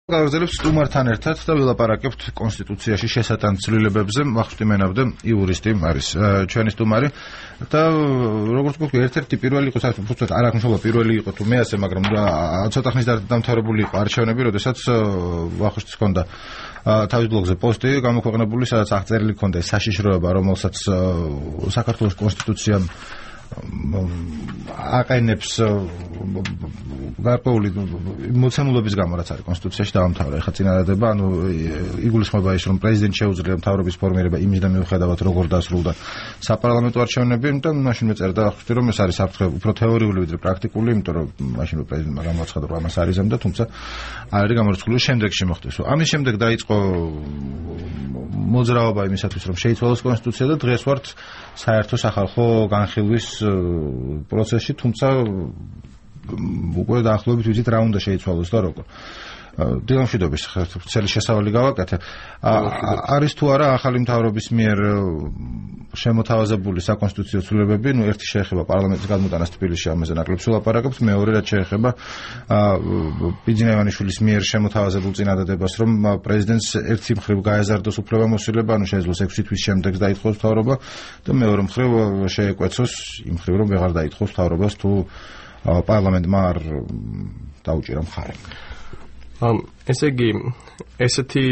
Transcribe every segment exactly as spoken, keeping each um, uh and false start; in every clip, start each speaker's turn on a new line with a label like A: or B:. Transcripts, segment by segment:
A: გავაგრძელებ სტუმართან ერთად და ვილაპარაკებთ კონსტიტუციაში შესატან ცვლილებებზე. ვახუშტი მენაბდა იურისტი არის ჩვენი სტუმარი და როგორც გქონდა ერთ-ერთი პირველი იყო საერთოდ არ აქვს მშობა პირველი იყო თუ მეასე, მაგრამ ცოტა ხნის დამთავრებული იყო არჩევნები, როდესაც ვახუშტის ჰქონდა თავის ბლოგზე პოსტი გამოქვეყნებული, სადაც აღწერილი ჰქონდა საშიშროება, რომელსაც საქართველოს კონსტიტუციამ აყენებს გარკვეული მოცემულობის გამო, რაც არის კონსტიტუციაში დაამთავრა. ეხლა წინადადება, ანუ იგულისხმება ის, რომ პრეზიდენტს შეუძლია მთავრობის ფორმირება იმისდა მიუხედავად როგორ დასრულდა საპარლამენტო არჩევნები, და მაშინ მეწერდა ვახუშტი, რომ ეს არის საფრთხე უფრო თეორიული ვიდრე პრაქტიკული, იმიტომ რომ მაშინ პრეზიდენტმა გამოაცხადა, რომ ამას არ იზამდა, თუმცა არ არის გამორიცხული შემდეგში მოხდეს. ამის შემდეგ დაიწყო მოძრაობა იმისათვის, რომ შეიცვალოს კონსტიტუცია და დღეს ვართ საერთო სახალხო განხილვის პროცესში, თუმცა უკვე დაახლოებით ვიცით რა უნდა შეიცვალოს და როგორ. დილამშვიდობის ხელი შესავალი გავაკეთე. არის თუ არა ახალი მთავრობის მიერ შემოთავაზებული საკონსტიტუციო ცვლილებები, ნუ ერთი შეეხება პარლამენტის გადმოტანას თბილისში, ამაზე ნაკლებს ვილაპარაკებთ, მეორე რაც შეეხება ბიძინა ივანიშვილის მიერ შემოთავაზებულ წინადადებას, რომ პრეზიდენტს ერთი მხრივ გაეზარდოს უფლებამოსილება, ანუ შეეძლოს ექვსი თვის შემდეგ დაითხოვოს მთავრობა და მეორე მხრივ შეეკვეცოს იმ მხრივ, რომ ვეღარ დაითხოვოს მთავრობას თუ პარლამენტმა არ დაუჭირა მხარე.
B: ესე იგი, ესეთი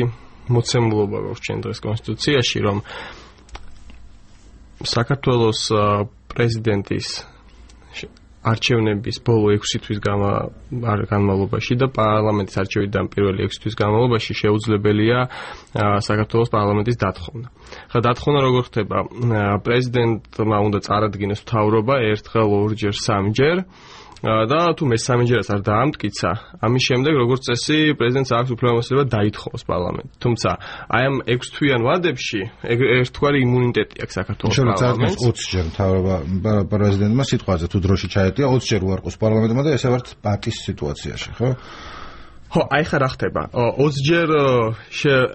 B: მოცემულობა გვაქვს ჩვენ დღეს კონსტიტუციაში, რომ საქართველოს პრეზიდენტის არჩევნების ბოლო ექვსი თვის განმავლობაში და პარლამენტის არჩევნიდან პირველი ექვსი თვის განმავლობაში შეუძლებელია საქართველოს პარლამენტის დათხოვნა. ხა დათხოვნა როგორ ხდება? პრეზიდენტმა უნდა წარადგინოს მთავრობა ერთხელ, ორჯერ, სამჯერ. და თუ მესამეჯერაც არ დაამტკიცა, ამის შემდეგ როგორც წესი პრეზიდენტს აქვს უფლებამოსილება დაითხოვოს პარლამენტი. თუმცა აი ამ ექვსთვიან ვადებში ერთგვარი იმუნიტეტი აქვს საქართველოს პარლამენტს.
A: ოცჯერ მთავრობა პრეზიდენტმა სიტყვაზე თუ დროში ჩაეტია, ოცჯერ უარყოს პარლამენტმა და ესე ვართ პატის სიტუაციაში, ხო?
B: ხო, აი ხა რა ხდება? ოცჯერ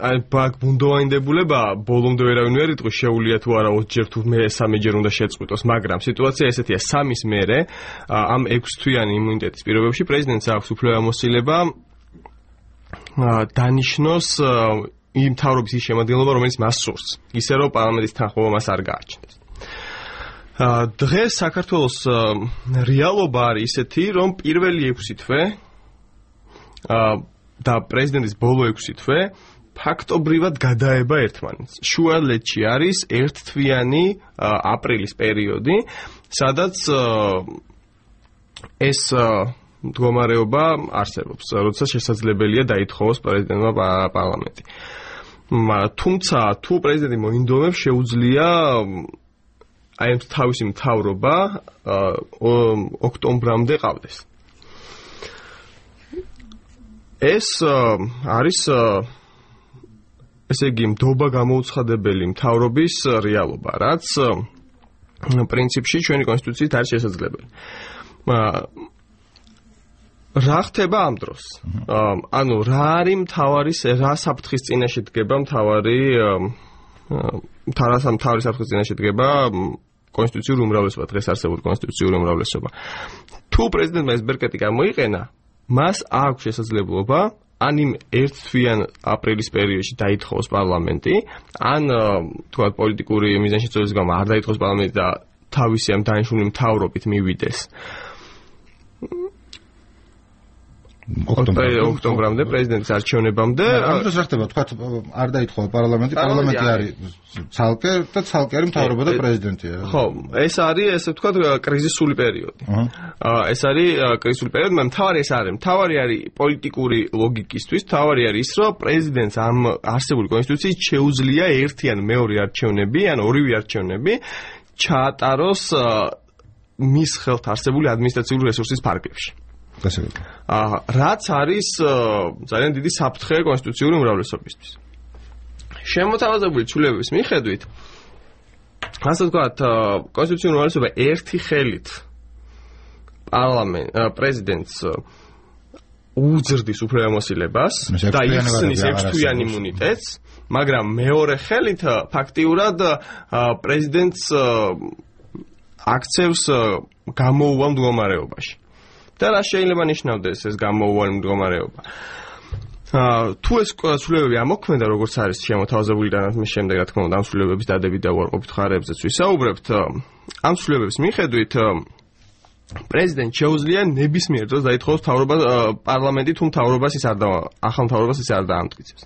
B: აი ბაგ ბუნდოვანდებულება ბოლომდე ვერავინ ვერ იტყვის, შეუძლია თუ არა ოცჯერ თუ მესამეჯერ უნდა შეწყვიტოს, მაგრამ სიტუაცია ესეთია, სამის მერე ამ ექვსთვიანი იმუნიტეტის პირობებში პრეზიდენტს აქვს უფლებამოსილება დანიშნოს იმ მთავრობის ის შემადგენლობა, რომელიც მას სურს, ისე რომ პარლამენტის თანხმობა მას არ გააჩნდეს. დღეს საქართველოს რეალობა არის ისეთი, რომ პირველი ექვსი თვე და პრეზიდენტის ბოლო ექვსი თვე ფაქტობრივად გადაება ერთმანეთს. შუალედში არის ერთთვიანი აპრილის პერიოდი, სადაც ეს მდგომარეობა არსებობს, როდესაც შესაძლებელია დაითხოვოს პრეზიდენტმა პარლამენტი. თუმცა თუ პრეზიდენტი მოინდომებს, შეუძლია აი ამ თავისი მთავრობა ოქტომბრამდე ყავდეს. ეს არის ესე იგი მდობა გამოუცხადებელი მთავრობის რეალობა, რაც პრინციპში ჩვენი კონსტიტუციით არის შესაძლებელი. რა ხდება ამ დროს? ანუ რა არის მთავარი, რა საფრთხის წინაშე დგება მთავარი მთავარი საფრთხის წინაშე დგება კონსტიტუციური უმრავლესობა, დღეს არსებული კონსტიტუციური უმრავლესობა. თუ პრეზიდენტმა ეს ბერკეტი გამოიყენა, მას აქვს შესაძლებლობა ან იმ ერთთვიან აპრილის პერიოდში დაითხოვოს პარლამენტი, ან თქვათ პოლიტიკური მიზანშეწონების გამო არ დაითხოვოს პარლამენტი და თავისი ამ დანიშნული მთავრობით მივიდეს ოქტომბრამდე პრეზიდენტის არჩევნებამდე.
A: ამ დროს რა ხდება? თქვათ არ დაითხოვა პარლამენტი, პარლამენტი არის ცალკე და ცალკე არის მთავრობა და პრეზიდენტია.
B: ხო, ეს არის ესე ვთქვათ კრიზისული პერიოდი. ეს არის კრიზისული პერიოდი, მაგრამ მთავარი ეს არის, მთავარი არის პოლიტიკური ლოგიკისთვის, მთავარი არის ის, რომ პრეზიდენტს ამ არსებული კონსტიტუციით შეუძლია ერთი ან მეორე არჩევნები, ან ორივე არჩევნები ჩაატაროს მის ხელთ არსებული ადმინისტრაციული რესურსის ფარგლებში. რაც არის ძალიან დიდი საფრთხე კონსტიტუციური უმრავლესობისთვის. შემოთავაზებული ცვლილებების მიხედვით, ასე ვთქვათ, კონსტიტუციური უმრავლესობა ერთი ხელით პარლამენტ პრეზიდენტს უძრდის უფლებამოსილებას და ისნის ექვსთვიან იმუნიტეტს, მაგრამ მეორე ხელით ფაქტიურად პრეზიდენტს აქცევს გამოუვალ მდგომარეობაში. და რა შეიძლება ნიშნავდეს ეს გამოუვალი მდგომარეობა? თუ ეს ცვლილებები ამოქმედა, როგორც არის შემოთავაზებული და მის შემდეგ რა თქმა უნდა ამ ცვლილებების დადებით და უარყოფით ხარებზეც ვისაუბრებთ, ამ ცვლილებების მიხედვით პრეზიდენტ შეუძლია ნებისმიერ დროს დაითხოვოს მთავრობა პარლამენტი თუ მთავრობას ის არ და ახალ მთავრობას ის არ დაამტკიცებს.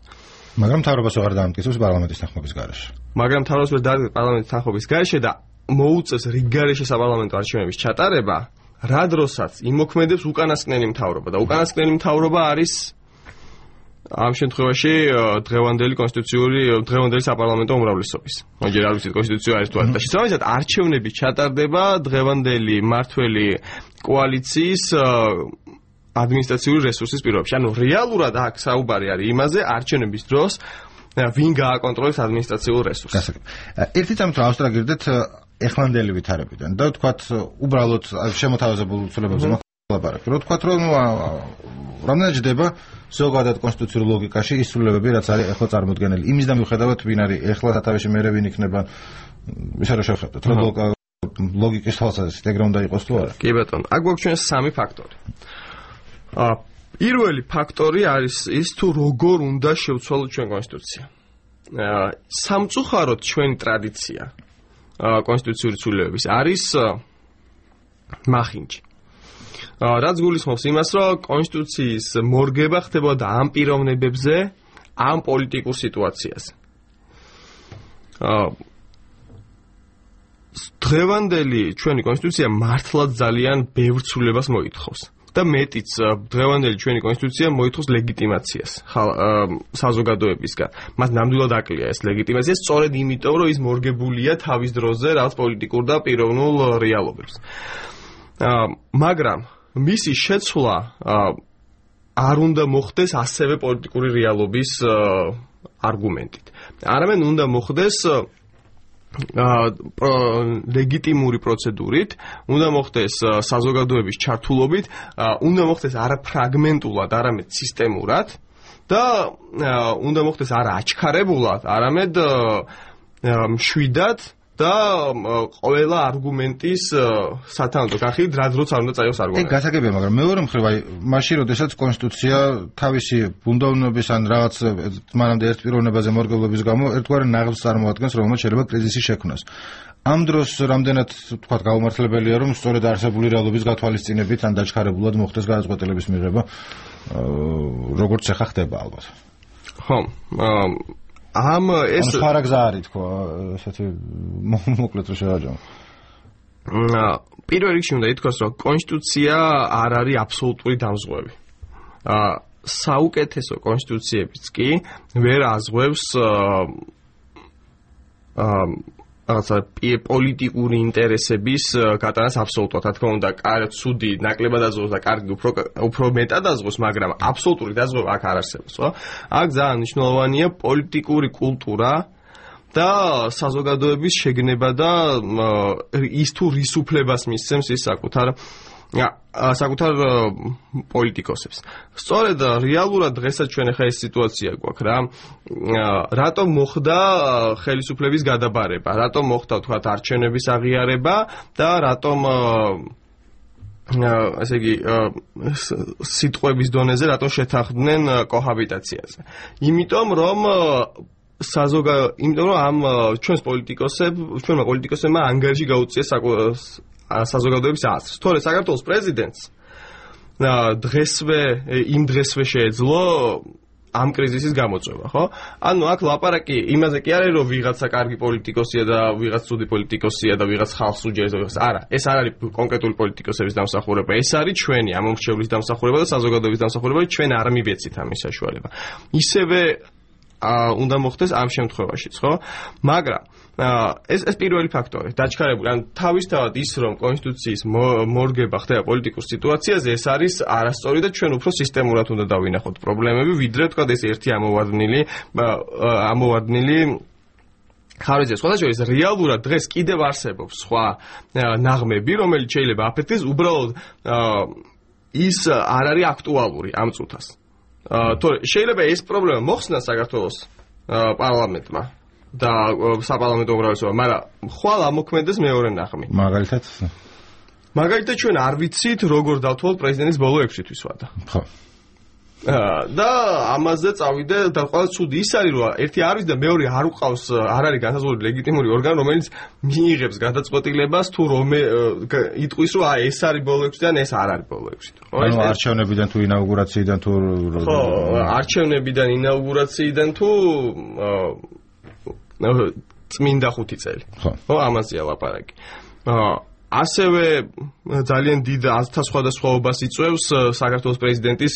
A: მაგრამ მთავრობას აღარ დაამტკიცებს პარლამენტის თანხმობის გარეშე.
B: მაგრამ მთავრობას ვერ დაამტკიცებს პარლამენტის თანხმობის გარეშე და მოუწევს რიგ გარეშე საპარლამენტო არჩევნების ჩატარება, რა დროსაც იმოქმედებს უკანასკნელი მთავრობა და უკანასკნელი მთავრობა არის ამ შემთხვევაში დღევანდელი კონსტიტუციური დღევანდელი საპარლამენტო უმრავლესობის. მაგრამ არ ვიცით კონსტიტუცია არის თუ არა. და შესაბამისად არჩევნები ჩატარდება დღევანდელი მართველი კოალიციის ადმინისტრაციული რესურსის პირობებში. ანუ რეალურად აქ საუბარი არის იმაზე არჩევნების დროს ვინ გააკონტროლებს ადმინისტრაციულ რესურსს.
A: ერთი წამით ავსტრაგირდეთ ეხლანდელი ვითარებიდან და ვთქვათ უბრალოდ შემოთავაზებულ ცვლილებებზე ლაპარაკი. რო ვთქვათ რომ რამდენად ჯდება ზოგადად კონსტიტუციურ ლოგიკაში ის ცვლილებები რაც არის ეხლა წარმოდგენილი. იმის და მიუხედავად ვინ არის ეხლა სათავეში მერე ვინ იქნება ისე რომ შევხედოთ რომ ლოგიკის თვალსაზრისით ეგრე უნდა იყოს თუ არა.
B: კი ბატონო, აქ გვაქვს სამი ფაქტორი. აა პირველი ფაქტორი არის ის თუ როგორ უნდა შევცვალოთ ჩვენ კონსტიტუცია. აა სამწუხაროდ ჩვენი ტრადიცია კონსტიტუციური ცვლილებების არის მახინჯი. რაც გულისხმობს იმას, რომ კონსტიტუციის მორგება ხდებოდა ამ პიროვნებებზე, ამ პოლიტიკურ სიტუაციაზე. დღევანდელი ჩვენი კონსტიტუცია მართლაც ძალიან ბევრ ცვლილებას მოითხოვს. და მეტიც დღევანდელი ჩვენი კონსტიტუცია მოითხოვს ლეგიტიმაციას საზოგადოებისგან. მას ნამდვილად აკლია ეს ლეგიტიმაცია, სწორედ იმიტომ, რომ ის მორგებულია თავის დროზე რაღაც პოლიტიკურ და პიროვნულ რეალობებს. მაგრამ მისი შეცვლა არ უნდა მოხდეს ასევე პოლიტიკური რეალობის არგუმენტით. არამედ უნდა მოხდეს ლეგიტიმური პროცედურით, უნდა მოხდეს საზოგადოების ჩართულობით, უნდა მოხდეს არა ფრაგმენტულად, არამედ სისტემურად და უნდა მოხდეს არა აჩქარებულად, არამედ მშვიდად და ყველა არგუმენტის სათანადო განხილვით, რა დროც არ უნდა წაიღოს არგუმენტი.
A: ეგ გასაგებია, მაგრამ მეორე მხრივ, აი, მაშინ როდესაც კონსტიტუცია თავისი ბუნდოვნობის ან რაღაც მანამდე ერთ პიროვნებაზე მორგებლობის გამო ერთგვარი ნაღდს წარმოადგენს, რომელმაც შეიძლება კრიზისი შექმნას. ამ დროს რამდენად თქვა გაუმართლებელია, რომ სწორედ არსებული რეალობის გათვალისწინებით ან დაჩქარებულად მოხდეს გადაწყვეტილების მიღება, როგორც ახლა ხდება ალბათ.
B: ხო, ამ ეს
A: სხვა გზა არის თქო, ესეთი მოკლედ რომ შევაჯამო.
B: პირველ რიგში უნდა ითქვას, რომ კონსტიტუცია არ არის აბსოლუტური დამზღვევი. აა საუკეთესო კონსტიტუციებიც კი ვერ ազღვევს აა რაღაცა პოლიტიკური ინტერესების გატანას აბსოლუტურად. რა თქმა უნდა, ცუდი ნაკლებად ազღვევს და კარგი უფრო უფრო მეტად ազღვევს, მაგრამ აბსოლუტური დაზღვევა აქ არ არსებობს, ხო? აქ ძალიან მნიშვნელოვანია პოლიტიკური კულტურა და საზოგადოების შეგნება და ის თუ რის უფლებას მისცემს ის საკუთარ საკუთარ პოლიტიკოსებს. სწორედ რეალურად დღესაც ჩვენ ახლა ეს სიტუაცია გვაქვს რა. რატომ მოხდა ხელისუფლების გადაბარება, რატომ მოხდა თქვათ არჩევნების აღიარება და რატომ ასე იგი სიტყვების დონეზე რატომ შეთანხმდნენ კოჰაბიტაციაზე. იმიტომ რომ საზოგადო, იმიტომ რომ ამ ჩვენს პოლიტიკოსებს, ჩვენმა პოლიტიკოსებმა ანგარიში გაუწიეს საზოგადოების აზრს. თორე საქართველოს პრეზიდენტს დღესვე იმ დღესვე შეეძლო ამ კრიზისის გამოწვევა, ხო? ანუ აქ ლაპარაკი იმაზე კი არის, რომ ვიღაცა კარგი პოლიტიკოსია და ვიღაც ცუდი პოლიტიკოსია და ვიღაც ხალხს უჯერებს და ვიღაც არა. ეს არ არის კონკრეტული პოლიტიკოსების დამსახურება, ეს არის ჩვენი ამომრჩევლის დამსახურება და საზოგადოების დამსახურება, ჩვენ არ მივეცით ამის საშუალება. ისევე უნდა მოხდეს ამ შემთხვევაშიც, ხო? მაგრამ ეს ეს პირველი ფაქტორი, დაჩქარებული, ან თავისთავად ის, რომ კონსტიტუციის მორგება ხდება პოლიტიკურ სიტუაციაზე, ეს არის არასწორი და ჩვენ უფრო სისტემურად უნდა დავინახოთ პრობლემები, ვიდრე თქვა ეს ერთი ამოვარდნილი ამოვარდნილი ხარჯზე. სხვადასხვა რეალურად დღეს კიდევ არსებობს სხვა ნაღმები, რომელიც შეიძლება აფეთქდეს, უბრალოდ ის არ არის აქტუალური ამ წუთას. თორე შეიძლება ეს პრობლემა მოხსნა საქართველოს პარლამენტმა და საპარლამენტო უმრავლესობამ, მაგრამ ხვალ ამოქმედეს მეორე ნაღმი.
A: მაგალითად?
B: მაგალითად ჩვენ არ ვიცით, როგორ დავთვალოთ პრეზიდენტის ბოლო ექვსი თვის ვადა.
A: ხო.
B: და ამაზე წავიდე და ყველა ცუდი ის არის რომ ერთი არის და მეორე არ უყავს არ არის განსაზღვრული ლეგიტიმური ორგანო რომელიც მიიღებს გადაწყვეტილებას თუ რომე იტყვის რომ აი ეს არის ბოლო ექვსი და ეს არ არის ბოლო ექვსი.
A: ანუ არჩევნებიდან თუ ინაუგურაციიდან თუ
B: ხო არჩევნებიდან ინაუგურაციიდან თუ წმინდა ხუთი წელი. ხო ამაზეა ლაპარაკი. ასევე ძალიან დიდ ათთა სხვადასხვაობას იწვევს საქართველოს პრეზიდენტის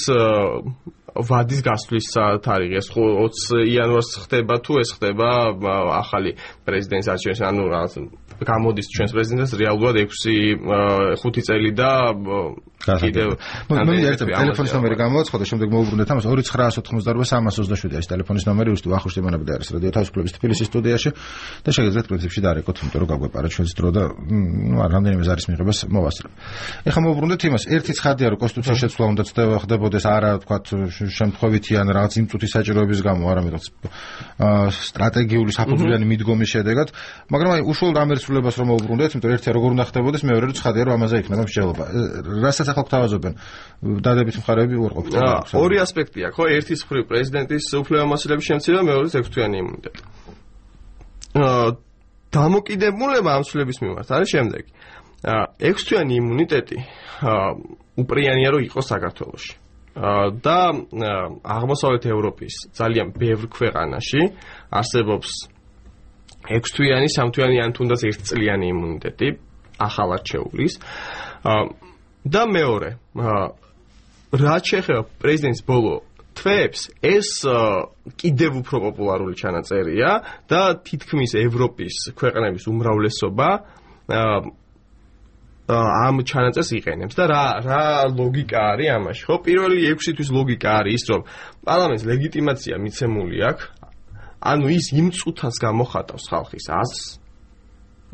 B: ვადის გასვლის თარიღი. ეს ოცი იანვარს ხდება თუ ეს ხდება ახალი პრეზიდენტის არჩევნები, ანუ რაღაც გამოდის ჩვენს პრეზიდენტს რეალურად ექვსი ხუთი წელი და
A: კიდევ მე ერთ ტელეფონის ნომერი გამოვაცხადე, შემდეგ მოვუბრუნდეთ ამას ორი ცხრა ათოთხმოცდაოთხი სამას ოცდაშვიდი არის ტელეფონის ნომერი, უსტი ვახუშტი მონაბედა არის რადიო თავისუფლების თბილისის სტუდიაში და შეგიძლიათ პრინციპში დაარეკოთ, იმიტომ რომ გაგვეპარა ჩვენს დრო და ნუ არ რამდენიმე ზარის მიღებას მოვასწრებ. ეხლა მოვუბრუნდეთ იმას, ერთი ცხადია რომ კონსტიტუციის შეცვლა უნდა ხდებოდეს არა თქვა შემთხვევითი ან რაღაც იმ წუთის საჭიროების გამო, არამედ რაღაც სტრატეგიული საფუძვლიანი მიდგომის შედეგად, მაგრამ აი უშუალოდ ამ ერთსულებას რომ მოვუბრუნდეთ, იმიტომ ერთია როგორ უნდა ხდებოდეს, მეორე რომ ცხადია რომ ამაზე იქნება მსჯელობა. რასაც ახლა გვთავაზობენ დადებით მხარეები უარყოფითი.
B: ორი ასპექტი აქვს, ხო? ერთის მხრივ პრეზიდენტის უფლებამოსილების შემცირება, მეორეს ექვსთვიანი იმუნიტეტი. დამოკიდებულება ამ ცვლილების მიმართ არის შემდეგი. ექვსთვიანი იმუნიტეტი უპრიანია რომ იყოს საქართველოში. და აღმოსავლეთ ევროპის ძალიან ბევრ ქვეყანაში არსებობს ექვსთვიანი, სამთვიანი ან თუნდაც ერთწლიანი იმუნიტეტი ახალად შეუვლის. და მეორე, რაც შეეხება პრეზიდენტის ბოლო თვეებს, ეს კიდევ უფრო პოპულარული ჩანაწერია და თითქმის ევროპის ქვეყნების უმრავლესობა ამ ჩანაწერს იყენებს და რა რა ლოგიკა არის ამაში, ხო? პირველი ექვსი თვის ლოგიკა არის ის, რომ პარლამენტს ლეგიტიმაცია მიცემული აქვს, ანუ ის იმ წუთას გამოხატავს ხალხის აზრს.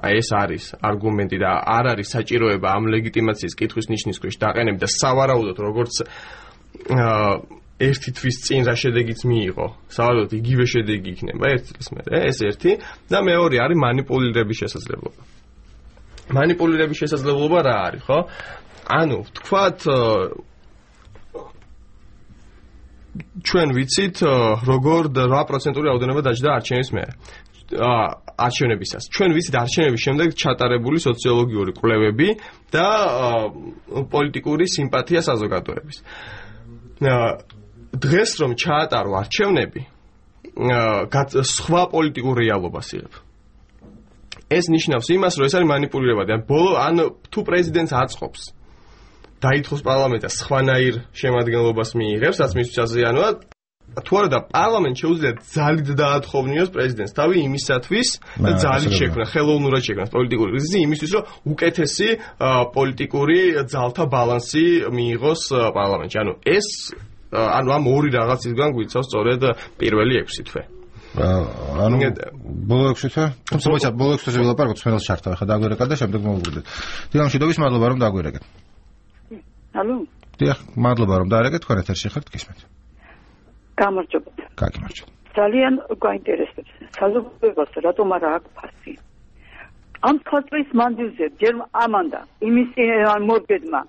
B: აი ეს არის არგუმენტი და არ არის საჭიროება ამ ლეგიტიმაციის კითხვის ნიშნის ქვეშ დაყენები და სავარაუდოდ როგორც ერთი თვის წინ რა შედეგიც მიიღო, სავარაუდოდ იგივე შედეგი იქნება ერთი წლის მერე, ეს ერთი და მეორე არის მანიპულირების შესაძლებლობა. მანიპულირების შესაძლებლობა რა არის, ხო? ანუ თქვათ ჩვენ ვიცით როგორ რვა პროცენტული რაოდენობა დაჯდა არჩევნების მერე. არჩევნებისას. ჩვენ ვიცით არჩევნების შემდეგ ჩატარებული სოციოლოგიური კვლევები და პოლიტიკური სიმპათია საზოგადოების. დღეს რომ ჩაატარო არჩევნები, სხვა პოლიტიკურ რეალობას იღებ. ეს ნიშნავს იმას, რომ ეს არის მანიპულირება და ბოლო ან თუ პრეზიდენტს აწყობს დაითხოვს პარლამენტს სხვანაირ შემადგენლობას მიიღებს, რაც მისთვის აზიანოა თუ არა და პარლამენტ შეუძლია ძალით დაათხოვნიოს პრეზიდენტს თავი იმისათვის და ძალით შექმნა ხელოვნურად შექმნა პოლიტიკური კრიზისი იმისთვის რომ უკეთესი პოლიტიკური ძალთა ბალანსი მიიღოს პარლამენტში. ანუ ეს ანუ ამ ორი რაღაცისგან გვიცავს სწორედ პირველი ექვსი თვე.
A: ანუ ბოლო ექვსი თვე? თუმცა მოიცა ბოლო ექვსი თვეზე ვილაპარაკოთ, სმენელს ჩართავ ახლა დაგვერეკა და შემდეგ მოვუბრუნდეთ. დიახ, მშვიდობის მადლობა რომ დაგვერეკეთ.
C: ალო?
A: დიახ, მადლობა რომ დაარეკეთ, თქვენ ეთერში ხართ, გისმენთ.
C: გამარჯობათ.
A: გაგიმარჯობთ.
C: ძალიან გაინტერესებს. საზოგადოებას რატომ არა აქვს ფასი? ამ ხალხის მანძილზე ჯერ ამანდა იმის მორგედმა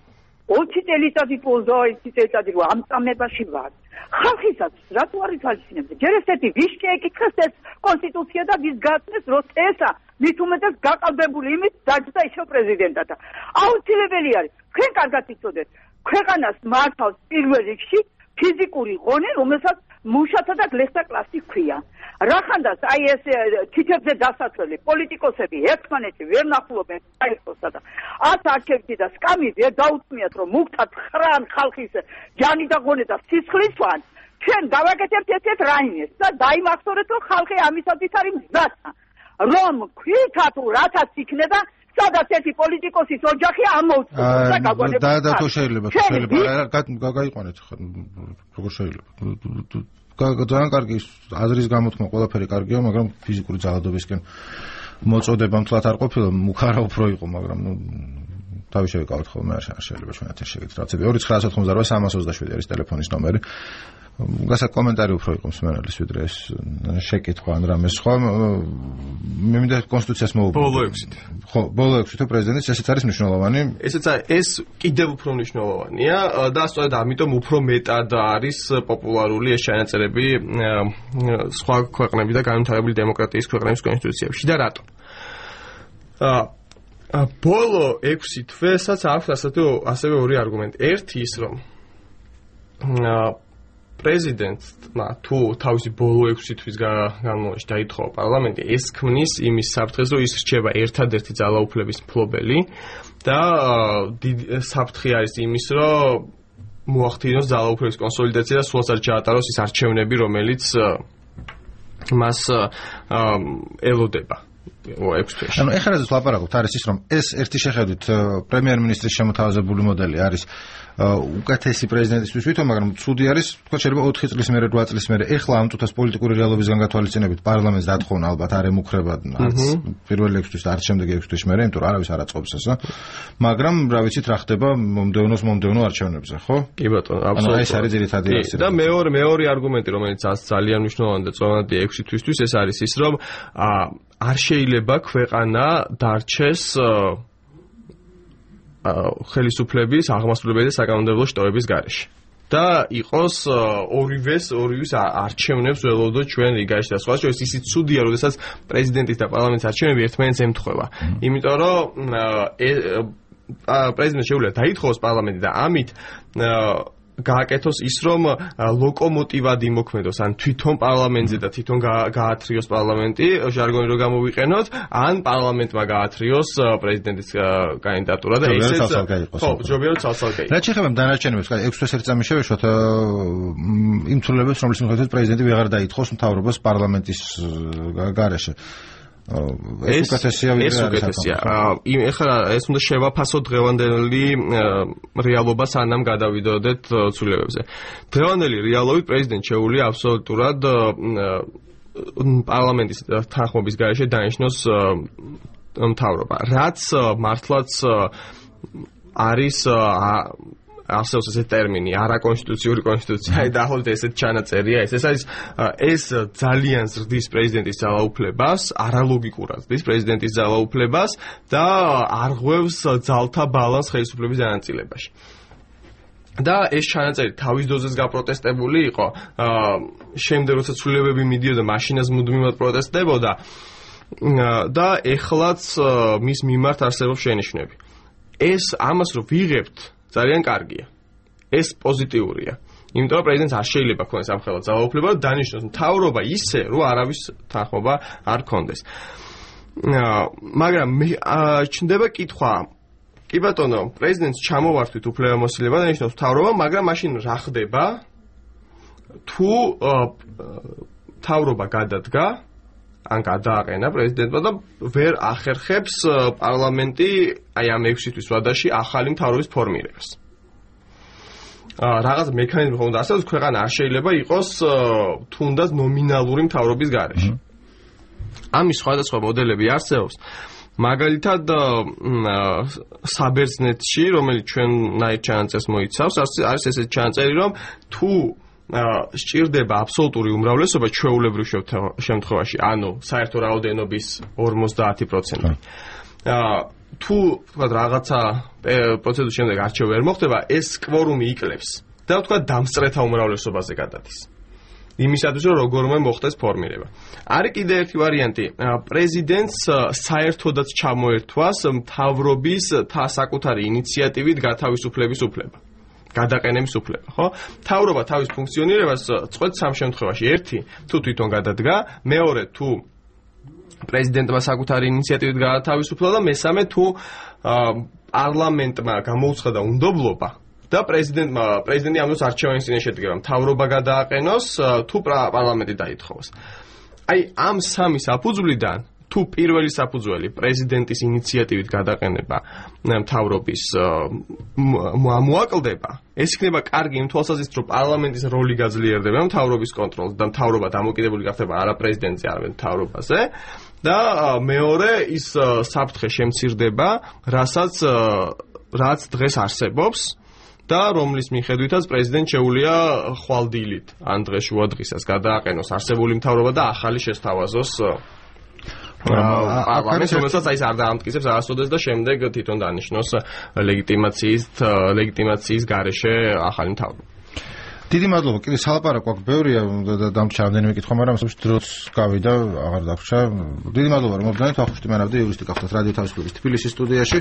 C: ოცი წელიწადი პოზო ოცი წელიწადი რომ ამ წამებაში ვარ. ხალხისაც რატო არის თვალისწინებდა? ჯერ ესეთი ვიშკი ეკითხეს ეს კონსტიტუცია და ვის გაწმეს რომ ესა მით უმეტეს გაყალბებული იმით დაჯდა ისო პრეზიდენტად. აუცილებელი არის. თქვენ კარგად იცოდეთ, ქვეყანას მართავს პირველ რიგში ფიზიკური ღონე, რომელსაც მუშათა და გლეხთა კლასი ჰქვია. რახანდაც აი ეს თითებზე დასასრული პოლიტიკოსები ერთმანეთში ვერ ნახულობენ საერთოსა და ათ არჩევში და სკამი ვერ დაუწმიათ რომ მუქთად ხრან ხალხის ჯანი და ღონე და სისხლისვან ჩვენ გავაკეთებთ ესეთ რაიმეს და დაიმახსოვრეთ რომ ხალხი ამისათვის არის მზათა რომ ქვითა თუ რათაც იქნება სადაც ერთი პოლიტიკოსის ოჯახი ამოუწევს და გაგვანებს
A: და და თუ შეიძლება შეიძლება გაიყვანეთ როგორ შეიძლება ძალიან კარგი აზრის გამოთქმა ყველაფერი კარგია, მაგრამ ფიზიკური ძალადობისკენ მოწოდება მთლად არ ყოფილა, მუქარა უფრო იყო, მაგრამ ნუ თავი შევიკავოთ ხოლმე არ შეიძლება ჩვენ ეთერში შეგეთ რაღაცები. ორი ცხრა ათოთხმოცდაოთხი სამას ოცდაშვიდი არის ტელეფონის ნომერი. გასა კომენტარი უფრო იყო მსმენელის ვიდრე ეს შეკითხვა ან რამე სხვა მე მინდა კონსტიტუციას მოვუბრუნდე
B: ბოლო ექვსით
A: ხო ბოლო ექვსით პრეზიდენტის ესეც არის მნიშვნელოვანი
B: ესეც ეს კიდევ უფრო მნიშვნელოვანია და სწორედ ამიტომ უფრო მეტად არის პოპულარული ეს ჩანაწერები სხვა ქვეყნები და განვითარებული დემოკრატიის ქვეყნების კონსტიტუციებში და რატომ ბოლო ექვსი თვესაც აქვს ასეთი ასევე ორი არგუმენტი ერთი ის რომ პრეზიდენტმა თუ თავისი ბოლო ექვსი თვის განმავლობაში დაითხოვა პარლამენტი ეს ქმნის იმის საფრთხეს რომ ის რჩება ერთადერთი ძალაუფლების მფლობელი და საფრთხე არის იმის რომ მოახდინოს ძალაუფლების კონსოლიდაცია და სულაც არ ჩაატაროს ის არჩევნები რომელიც მას ელოდება
A: ანუ ეხლა რაც ლაპარაკობთ არის ის რომ ეს ერთი შეხედვით პრემიერ-მინისტრის შემოთავაზებული მოდელი არის უკეთესი პრეზიდენტისთვის ვითომ მაგრამ ცუდი არის თქვა შეიძლება ოთხი წლის მერე რვა წლის მერე ეხლა ამ თუთას პოლიტიკური რეალობისგან გათვალისწინებით პარლამენტს დათხოვნა ალბათ არ ემუქრება არც პირველ ექვსი თვის და არც შემდეგ ექვსი თვის მერე იმიტომ რომ არავის არ აწყობს ესა მაგრამ რა ვიცით რა ხდება მომდევნოს მომდევნო არჩევნებზე ხო
B: კი ბატონო აბსოლუტურად
A: ეს არის ძირითადი
B: არცი და მეორე მეორე არგუმენტი რომელიც ძალიან მნიშვნელოვანი და წონადი ექვსი თვისთვის ეს არის ის რომ არ შეიძლება ქვეყანა დარჩეს ხელისუფლების აღმასრულებელი და საკანონმდებლო შტოების გარეშე და იყოს ორივეს ორივეს არჩევნებს ველოდოთ ჩვენ რიგაში და სხვა შორის ისიც ცუდია როდესაც პრეზიდენტის და პარლამენტის არჩევნები ერთმანეთს ემთხვევა იმიტომ რომ პრეზიდენტს შეუძლია დაითხოვოს პარლამენტი და ამით გააკეთოს ის რომ ლოკომოტივად იმოქმედოს ან თვითონ პარლამენტზე და თვითონ გაათრიოს პარლამენტი ჟარგონი რო გამოვიყენოთ ან პარლამენტმა გაათრიოს პრეზიდენტის კანდიდატურა და ესეც ხო ჯობია რომ ცალ-ცალკე
A: რა შეიძლება დანარჩენებს ექვსი თვეს ერთ წამი შევეშოთ იმ ცვლილებებს რომლის მიხედვით პრეზიდენტი ვეღარ დაითხოვს მთავრობას პარლამენტის გარეშე ეს უკეთესია
B: ეს უკეთესია ეხლა ეს უნდა შევაფასოთ დღევანდელი რეალობა სანამ გადავიდოდეთ ცვლილებებზე დღევანდელი რეალობით პრეზიდენტ შეუძლია აბსოლუტურად პარლამენტის თანხმობის გარეშე დანიშნოს მთავრობა რაც მართლაც არის არსებობს ესეთი ტერმინი არაკონსტიტუციური კონსტიტუცია აი დაახლოებით ესეთი ჩანაწერია ეს ეს არის ეს ძალიან ზრდის პრეზიდენტის ძალაუფლებას არალოგიკურად ზრდის პრეზიდენტის ძალაუფლებას და არღვევს ძალთა ბალანსს ხელისუფლების დანაწილებაში და ეს ჩანაწერი თავის დოზეს გაპროტესტებული იყო შემდეგ როცა ცვლილებები მიდიოდა მაშინაც მუდმივად პროტესტდებოდა და ეხლაც მის მიმართ არსებობს შენიშვნები ეს ამას რო ვიღებთ ძალიან კარგია. ეს პოზიტიურია. იმიტომ რომ პრეზიდენტს არ შეიძლება ქონდეს ამხელა ძალაუფლება და დანიშნოს მთავრობა ისე, რომ არავის თანხმობა არ ქონდეს. მაგრამ ჩნდება კითხვა. კი ბატონო, პრეზიდენტს ჩამოვართვით უფლებამოსილება და ნიშნავს მთავრობა, მაგრამ მაშინ რა ხდება? თუ მთავრობა გადადგა ან გადააყენა პრეზიდენტმა და ვერ ახერხებს პარლამენტი აი ამ ექვსი თვის ვადაში ახალი მთავრობის ფორმირებას. რაღაც მექანიზმი ხომ უნდა არსებობს, ქვეყანა არ შეიძლება იყოს თუნდაც ნომინალური მთავრობის გარეშე. ამის სხვადასხვა მოდელები არსებობს. მაგალითად საბერძნეთში, რომელიც ჩვენნაირ ჩანაწერს მოიცავს, არის ესეთი ჩანაწერი, რომ თუ სჭირდება აბსოლუტური უმრავლესობა ჩვეულებრივ შემთხვევაში, ანუ საერთო რაოდენობის ორმოცდაათი პროცენტი. თუ თქვა რაღაცა პროცედურის შემდეგ არჩევნები ვერ მოხდება, ეს კვორუმი იკლებს და თქვა დამსწრეთა უმრავლესობაზე გადადის. იმისათვის რომ როგორმე მოხდეს ფორმირება. არის კიდე ერთი ვარიანტი, პრეზიდენტს საერთოდაც ჩამოერთვას მთავრობის საკუთარი ინიციატივით გათავისუფლების უფლება. გადაყენების უფლება, ხო? მთავრობა თავის ფუნქციონირებას წყვეტს სამ შემთხვევაში. ერთი, თუ თვითონ გადადგა, მეორე, თუ პრეზიდენტმა საკუთარი ინიციატივით გაათავისუფლა და მესამე, თუ პარლამენტმა გამოუცხადა უნდობლობა და პრეზიდენტმა პრეზიდენტი ამ დროს არჩევანის წინაშე შედგება, მთავრობა გადააყენოს, თუ პარლამენტი დაითხოვოს. აი, ამ სამი საფუძვლიდან თუ პირველი საფუძველი პრეზიდენტის ინიციატივით გადაყენება მთავრობის მოაკლდება, ეს იქნება კარგი იმ თვალსაზრისით, რომ პარლამენტის როლი გაძლიერდება მთავრობის კონტროლს და მთავრობა დამოკიდებული გახდება არა პრეზიდენტზე, არამედ მთავრობაზე და მეორე ის საფრთხე შემცირდება, რასაც რაც დღეს არსებობს და რომლის მიხედვითაც პრეზიდენტ შეუძლია ხვალდილით ან დღეშუა დღისას გადააყენოს არსებული მთავრობა და ახალი შესთავაზოს პარლამენტს, რომელსაც აი ეს არ დაამტკიცებს არასოდეს და შემდეგ თვითონ დანიშნოს ლეგიტიმაციის ლეგიტიმაციის გარეშე ახალი მთავრობა.
A: დიდი მადლობა. კიდე სალაპარაკო აქვს ბევრია და დამჭა რამდენიმე კითხვა, მაგრამ სულ დროც გავიდა, აღარ დაგვრჩა. დიდი მადლობა რომ მოდით. ახუშტი მანავდი იურისტი გახდათ რადიო თავისუფლების თბილისის სტუდიაში.